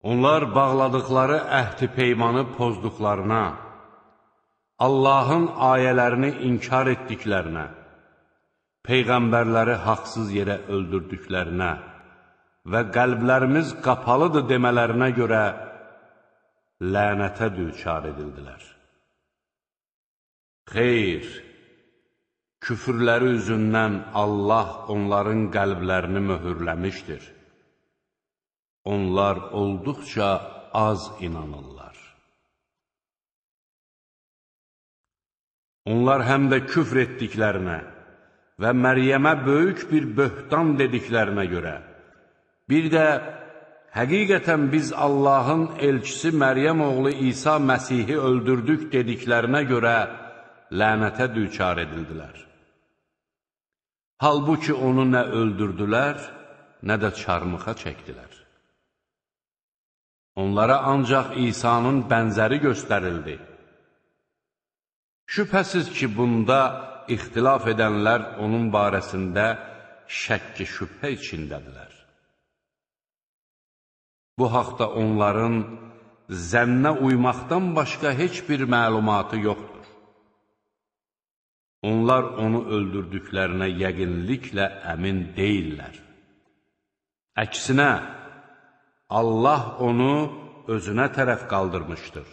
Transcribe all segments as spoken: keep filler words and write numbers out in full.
Onlar bağladıkları əhd-i peymanı pozduqlarına, Allahın ayələrini inkar etdiklərinə, Peyğəmbərləri haqsız yerə öldürdüklərinə və qəlblərimiz qapalıdır demələrinə görə lənətə düçar edildilər. Xeyr, küfürləri üzündən Allah onların qəlblərini möhürləmişdir. Onlar olduqca az inanırlar. Onlar həm də küfr etdiklərinə və Məryəmə böyük bir böhtan dediklərinə görə, bir də həqiqətən biz Allahın elçisi Məryəm oğlu İsa Məsihi öldürdük dediklərinə görə lənətə düçar edildilər. Halbuki onu nə öldürdülər, nə də çarmıxa çəkdilər. Onlara ancaq İsa'nın bənzəri göstərildi. Şübhəsiz ki, bunda ixtilaf edənlər onun barəsində şəkk-i şübhə içindədirlər. Bu haqda onların zənnə uymaqdan başqa heç bir məlumatı yoxdur. Onlar onu öldürdüklərinə yəqinliklə əmin deyirlər. Əksinə, Allah onu özünə tərəf qaldırmışdır.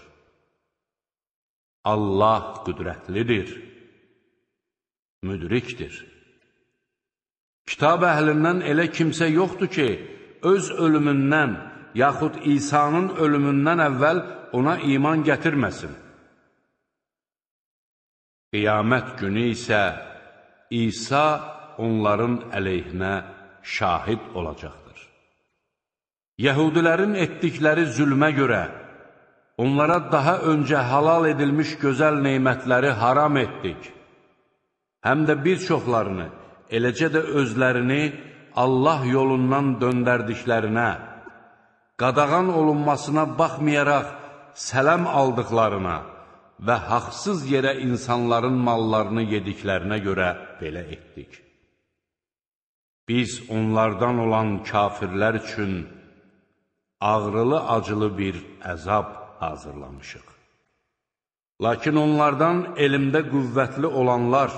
Allah qüdrətlidir, müdrikdir. Kitab əhlindən elə kimsə yoxdur ki, öz ölümündən, yaxud İsa'nın ölümündən əvvəl ona iman gətirməsin. Qiyamət günü isə İsa onların əleyhinə şahid olacaqdır. Yəhudilərin etdikləri zülmə görə onlara daha öncə halal edilmiş gözəl neymətləri haram etdik. Həm də bir çoxlarını, eləcə də özlərini Allah yolundan döndərdiklərinə, qadağan olunmasına baxmayaraq sələm aldıqlarına və haqsız yerə insanların mallarını yediklərinə görə belə etdik. Biz onlardan olan kafirlər üçün ağrılı-acılı bir əzab hazırlamışıq. Lakin onlardan elmdə qüvvətli olanlar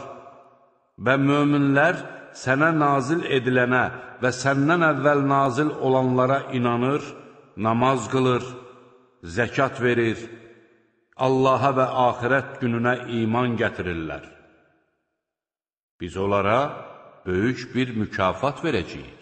və möminlər sənə nazil edilənə və səndən əvvəl nazil olanlara inanır, namaz qılır, zəkat verir, Allaha və axirət gününə iman gətirirlər. Biz onlara böyük bir mükafat verəcəyik.